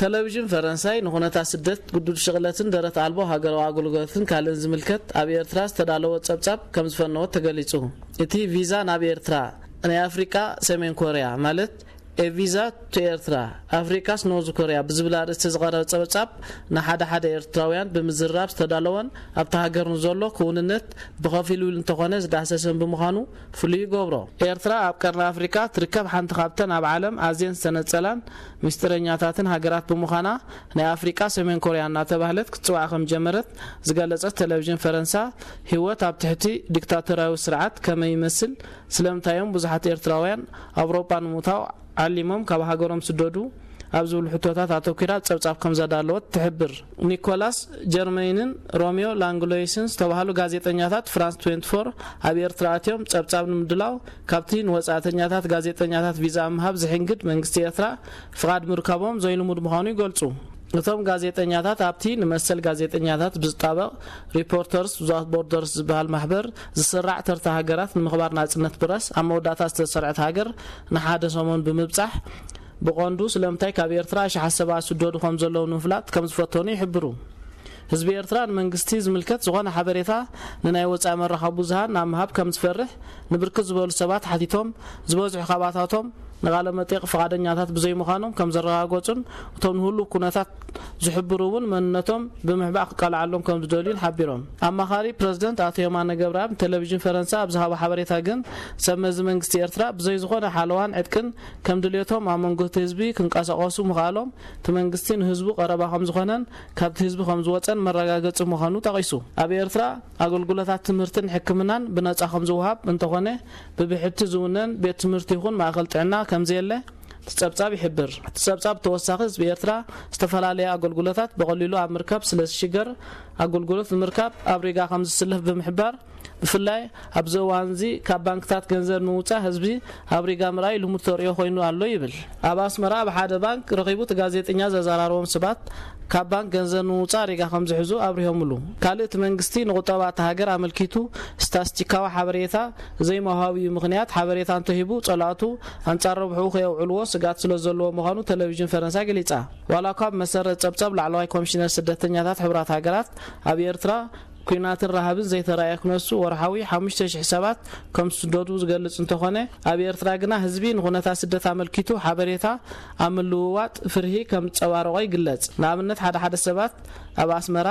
ቴሌቪዥን ፈረንሳይ ንኹነታት ስደት፣ ግዱድ ሽቕለትን ደረት ኣልቦ ሃገራዊ ኣገልግሎትን ካልእን ዝምልከት ኣብ ኤርትራ ዝተዳለወ ጸብጻብ ከም ዝፈነወት ተገሊጹ። እቲ ቪዛ ናብ ኤርትራ ናይ ኣፍሪቃ ሰሜን ኮርያ፣ ማለት ኤቪዛ ቱ ኤርትራ ኣፍሪቃስ ኖርዝ ኮርያ ብዝብል ኣርእስቲ ዝቐረበ ጸብጻብ፣ ንሓደ ሓደ ኤርትራውያን ብምዝራብ ዝተዳለወን ኣብታ ሃገር ንዘሎ ክውንነት ብኸፊል እውን እንተኾነ ዝዳህሰሰን ብምዃኑ ፍሉይ ይገብሮ። ኤርትራ ኣብ ቀርኒ ኣፍሪቃ ትርከብ ሓንቲ ካብተን ኣብ ዓለም ኣዝየን ዝተነጸላን ምስጢረኛታትን ሃገራት ብምዃና፣ ናይ ኣፍሪቃ ሰሜን ኮርያ እናተባህለት ክትጽዋዕ ከም ጀመረት ዝገለጸት ቴሌቪዥን ፈረንሳ፣ ህይወት ኣብ ትሕቲ ዲክታቶርያዊ ስርዓት ከመይ ይመስል፣ ስለምንታይ እዮም ብዙሓት ኤርትራውያን ኣውሮጳ ንምእታው ዓሊሞም ካብ ሃገሮም ስደዱ ኣብ ዝብሉ ሕቶታት ኣተኲራ ጸብጻብ ከም ዘዳለወት ትሕብር። ኒኮላስ ጀርመይንን ሮሚዮ ላንግሎይስን ዝተባህሉ ጋዜጠኛታት ፍራንስ ትዌንቲ ፎር ኣብ ኤርትራ ኣትዮም ጸብጻብ ንምድላው ካብቲ ንወጻእተኛታት ጋዜጠኛታት ቪዛ ምሃብ ዝሕንግድ መንግስቲ ኤርትራ ፍቓድ ምርካቦም ዘይልሙድ ምዃኑ ይገልጹ። እቶም ጋዜጠኛታት ኣብቲ ንመሰል ጋዜጠኛታት ብዝጣበቕ ሪፖርተርስ ዊዛውት ቦርደርስ ዝበሃል ማሕበር ዝስራዕ ተርታ ሃገራት ንምኽባር ናጽነት ፕረስ ኣብ መወዳእታ ዝተሰርዐት ሃገር ንሓደ ሰሙን ብምብጻሕ፣ ብቐንዱ ስለምንታይ ካብ ኤርትራ ኣሽሓት ሰባት ዝስደዱ ከም ዘለዉ ንምፍላጥ ከም ዝፈተኑ ይሕብሩ። ህዝቢ ኤርትራ ንመንግስቲ ዝምልከት ዝኾነ ሓበሬታ ንናይ ወጻኢ መራኸቢ ብዙሃን ናብ ምሃብ ከም ዝፈርሕ ንብርክት ዝበሉ ሰባት ሓቲቶም፣ ዝበዝሑ ካባታቶም ንቓለ መጠይቕ ፍቓደኛታት ብዘይምዃኖም ከም ዘረጋገጹን፣ እቶም ንህሉው ኩነታት ዝሕብሩ እውን መንነቶም ብምሕባእ ክቃልዓሎም ከም ዝደልዩን ሓቢሮም። ኣማኻሪ ፕረዚደንት ኣቶ የማነ ገብረኣብ ንቴሌቪዥን ፈረንሳ ኣብ ዝሃቦ ሓበሬታ ግን፣ ሰብ መዚ መንግስቲ ኤርትራ ብዘይ ዝኾነ ሓለዋን ዕጥቅን ከም ድልየቶም ኣብ መንጎ እቲ ህዝቢ ክንቀሳቐሱ ምኽኣሎም፣ እቲ መንግስቲ ንህዝቡ ቀረባ ከም ዝኾነን ካብቲ ህዝቢ ከም ዝወጸን መረጋገጺ ምዃኑ ጠቒሱ። ኣብ ኤርትራ ኣገልግሎታት ትምህርትን ሕክምናን ብነጻ ከም ዝወሃብ እንተኾነ፣ ብብሕቲ ዝውነን ቤት ትምህርቲ ይኹን ማእከል ጥዕና ከም ዘየለ እቲ ጸብጻብ ይሕብር። እቲ ጸብጻብ ብተወሳኺ፣ ህዝቢ ኤርትራ ዝተፈላለየ ኣገልግሎታት ብቐሊሉ ኣብ ምርካብ ስለ ዝሽገር፣ ኣገልግሎት ንምርካብ ኣብ ሪጋ ከም ዝስለፍ ብምሕባር፣ ብፍላይ ኣብዚ እዋንዚ ካብ ባንክታት ገንዘብ ንምውጻእ ህዝቢ ኣብ ሪጋ ምርኣይ ልሙድ ተርእዮ ኮይኑ ኣሎ ይብል። ኣብ ኣስመራ ኣብ ሓደ ባንክ ረኺቡ እቲ ጋዜጠኛ ዘዘራረቦም ሰባት፣ ካብ ባንክ ገንዘብ ንምውጻእ ሪጋ ከም ዝሕዙ ኣብሪሆምሉ። ካልእ እቲ መንግስቲ ንቁጠባ እታ ሃገር ኣመልኪቱ ስታስቲካዊ ሓበሬታ ዘይምሃቡ እዩ ምኽንያት፣ ሓበሬታ እንተሂቡ ጸላእቱ ኣንጻር ረብሕኡ ከየውዕልዎ ስግኣት ስለ ዘለዎ ምዃኑ ቴሌቪዥን ፈረንሳ ገሊጻ። ዋላ እኳ ብመሰረት ጸብጻብ ላዕለዋይ ኮሚሽነር ስደተኛታት ሕቡራት ሃገራት ኣብ ኤርትራ፣ ኲናትን ረሃብን ዘይተራእየ ክነሱ ወርሓዊ ሓሙሽተ ሽሕ ሰባት ከም ዝስደዱ ዝገልጽ እንተኾነ፣ ኣብ ኤርትራ ግና ህዝቢ ንኹነታት ስደት ኣመልኪቱ ሓበሬታ ኣብ ምልውዋጥ ፍርሂ ከም ዝጸባረቖ ይግለጽ። ንኣብነት፣ ሓደ ሓደ ሰባት ኣብ ኣስመራ፣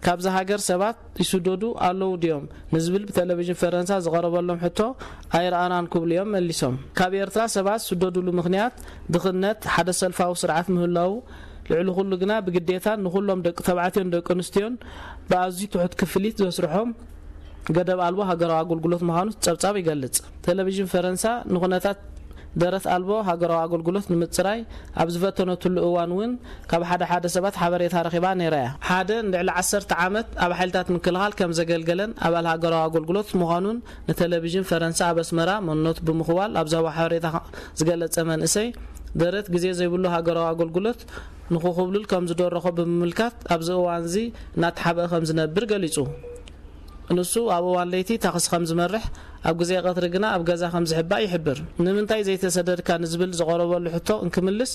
ካብዛ ሃገር ሰባት ይስደዱ ኣለዉ ድዮም ንዝብል ብቴሌቪዥን ፈረንሳ ዝቐረበሎም ሕቶ ኣይረኣናን ክብሉ እዮም መሊሶም። ካብ ኤርትራ ሰባት ዝስደዱሉ ምኽንያት ድኽነት፣ ሓደ ሰልፋዊ ስርዓት ምህላዉ፣ ልዕሊ ኩሉ ግና ብግዴታን ንኹሎም ደቂ ተባዕትዮን ደቂ ኣንስትዮን ብኣዝዩ ትሑት ክፍሊት ዘስርሖም ገደብ ኣልቦ ሃገራዊ ኣገልግሎት ምዃኑ ጸብጻብ ይገልጽ። ቴሌቪዥን ፈረንሳ ንኹነታት ደረት ኣልቦ ሃገራዊ ኣገልግሎት ንምጽራይ ኣብ ዝፈተነትሉ እዋን እውን ካብ ሓደ ሓደ ሰባት ሓበሬታ ረኺባ ነይራ እያ። ሓደ ንልዕሊ ዓሰርተ ዓመት ኣብ ሓይልታት ምክልኻል ከም ዘገልገለን ኣባል ሃገራዊ ኣገልግሎት ምዃኑን ንቴሌቪዥን ፈረንሳ ኣብ ኣስመራ መንነቱ ብምኽዋል ኣብ ዝሃቦ ሓበሬታ ዝገለጸ መንእሰይ፣ ደረት ግዜ ዘይብሉ ሃገራዊ ኣገልግሎት ንኽኹብልል ከም ዝደረኾ ብምምልካት፣ ኣብዚ እዋንዚ እናተሓብአ ከም ዝነብር ገሊጹ። ንሱ ኣብ እዋን ለይቲ ታክሲ ከም ዝመርሕ፣ ኣብ ግዜ ቀትሪ ግና ኣብ ገዛ ከም ዝሕባእ ይሕብር። ንምንታይ ዘይተሰደድካ ንዝብል ዝቐረበሉ ሕቶ እንክምልስ፣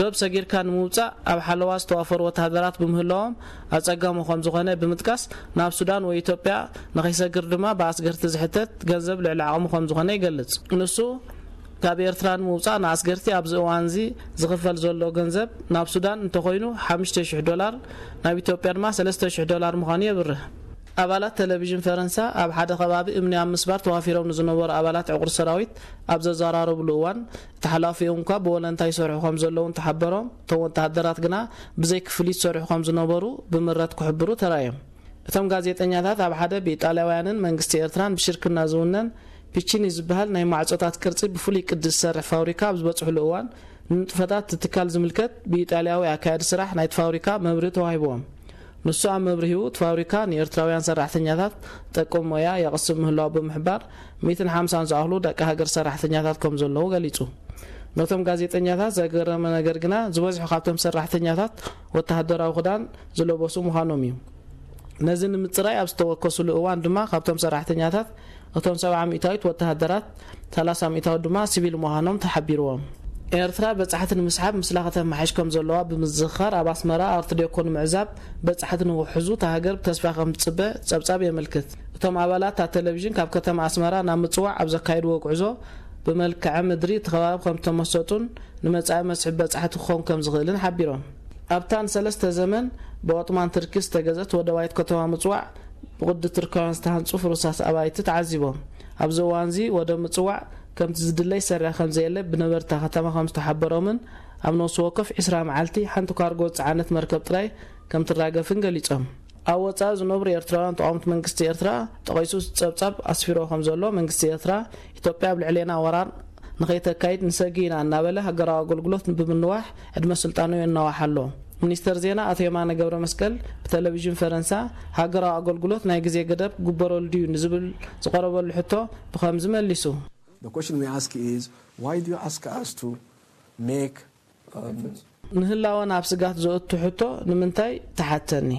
ዶብ ሰጊርካ ንምውጻእ ኣብ ሓለዋ ዝተዋፈሩ ወተሃደራት ብምህላዎም ኣጸጋሚ ከም ዝኾነ ብምጥቃስ፣ ናብ ሱዳን ወይ ኢትዮጵያ ንኸይሰግር ድማ ብኣስገርቲ ዝሕተት ገንዘብ ልዕሊ ዓቕሙ ከም ዝኾነ ይገልጽ። ንሱ፣ ካብ ኤርትራ ንምውጻእ ንኣስገርቲ ኣብዚ እዋንዚ ዝኽፈል ዘሎ ገንዘብ፣ ናብ ሱዳን እንተኾይኑ ሓሙሽተ ሽሕ ዶላር፣ ናብ ኢትዮጵያ ድማ ሰለስተ ሽሕ ዶላር ምዃኑ የብርህ። ኣባላት ቴሌቪዥን ፈረንሳ፣ ኣብ ሓደ ከባቢ እምኒ ኣብ ምስባር ተዋፊሮም ንዝነበሩ ኣባላት ዕቑር ሰራዊት ኣብ ዘዘራረብሉ እዋን፣ እቲ ሓላፊኦም እኳ ብወለንታ ይሰርሑ ከም ዘለዉ እንተሓበሮም፣ እቶም ወተሃደራት ግና ብዘይ ክፍሊት ይሰርሑ ከም ዝነበሩ ብምረት ክሕብሩ ተራእዮም። እቶም ጋዜጠኛታት፣ ኣብ ሓደ ብኢጣልያውያንን መንግስቲ ኤርትራን ብሽርክና ዝውነን ፒቺኒ ዝበሃል ናይ ማዕጾታት ቅርጺ ብፍሉይ ቅዲ ዝሰርሕ ፋብሪካ ኣብ ዝበጽሕሉ እዋን፣ ንንጥፈታት እቲ ትካል ዝምልከት ብኢጣልያዊ ኣካያዲ ስራሕ ናይቲ ፋብሪካ መብርሂ ተዋሂብዎም። ንሱ ኣብ መብርሂኡ፣ እቲ ፋብሪካ ንኤርትራውያን ሰራሕተኛታት ጠቅም ሞያ የቕስብ ምህላዉ ብምሕባር፣ ሚእትን ሓምሳን ዝኣኽሉ ደቂ ሃገር ሰራሕተኛታት ከም ዘለዉ ገሊጹ። ነቶም ጋዜጠኛታት ዘገረመ ነገር ግና፣ ዝበዝሑ ካብቶም ሰራሕተኛታት ወተሃደራዊ ክዳን ዝለበሱ ምዃኖም እዩ። ነዚ ንምጽራይ ኣብ ዝተወከሱሉ እዋን ድማ፣ ካብቶም ሰራሕተኛታት፣ እቶም ሰብዓ ሚእታዊት ወተሃደራት፣ ሰላሳ ሚእታዊት ድማ ሲቪል ምዃኖም ተሓቢርዎም። ኤርትራ በጻሕቲ ንምስሓብ ምስላ ከተመሓይሽ ከም ዘለዋ ብምዝኽኻር፣ ኣብ ኣስመራ ኣርት ዴኮ ንምዕዛብ በጻሕቲ ንኽውሕዙ እታ ሃገር ብተስፋ ከም ትጽበ ጸብጻብ የመልክት። እቶም ኣባላት እታ ቴሌቪዥን ካብ ከተማ ኣስመራ ናብ ምጽዋዕ ኣብ ዘካየድዎ ጉዕዞ፣ ብመልክዐ ምድሪ እቲ ከባቢ ከም ዝተመሰጡን ንመጻኢ መስሕብ በጻሕቲ ክኸውን ከም ዝኽእልን ሓቢሮም። ኣብታ ንሰለስተ ዘመን ብኦጥማን ትርኪ ዝተገዘት ወደባይት ከተማ ምጽዋዕ፣ ብቕዲ ትርካውያን ዝተሃንጹ ፍሩሳት ኣባይቲ ተዓዚቦም። ኣብዚ እዋንዚ ወደብ ምጽዋዕ ከምቲ ዝድለ ይሰርሕ ከም ዘየለ ብነበርታ ከተማ ከም ዝተሓበሮምን፣ ኣብ ነፍሲ ወከፍ ዕስራ መዓልቲ ሓንቲ ካርጎ ዝጸዓነት መርከብ ጥራይ ከም ትራገፍን ገሊጾም። ኣብ ወጻኢ ዝነብሩ ኤርትራውያን ተቓወምቲ መንግስቲ ኤርትራ ጠቒሱ ጸብጻብ ኣስፊሮ ከም ዘሎ፣ መንግስቲ ኤርትራ፣ ኢትዮጵያ ኣብ ልዕሌና ወራር ንኸይተካይድ ንሰጊ ኢና እናበለ ሃገራዊ ኣገልግሎት ብምንዋሕ ዕድመ ስልጣኑ የናዋሕ ኣሎ። ሚኒስተር ዜና ኣቶ የማነ ገብረ መስቀል ብቴሌቪዥን ፈረንሳ፣ ሃገራዊ ኣገልግሎት ናይ ግዜ ገደብ ክግበረሉ ድዩ ንዝብል ዝቐረበሉ ሕቶ ብኸምዚ መሊሱ። The question we ask is, why do you ask us to make um, ንህላወና ኣብ ስጋት ዘእቱ ሕቶ ንምንታይ ትሓተኒ?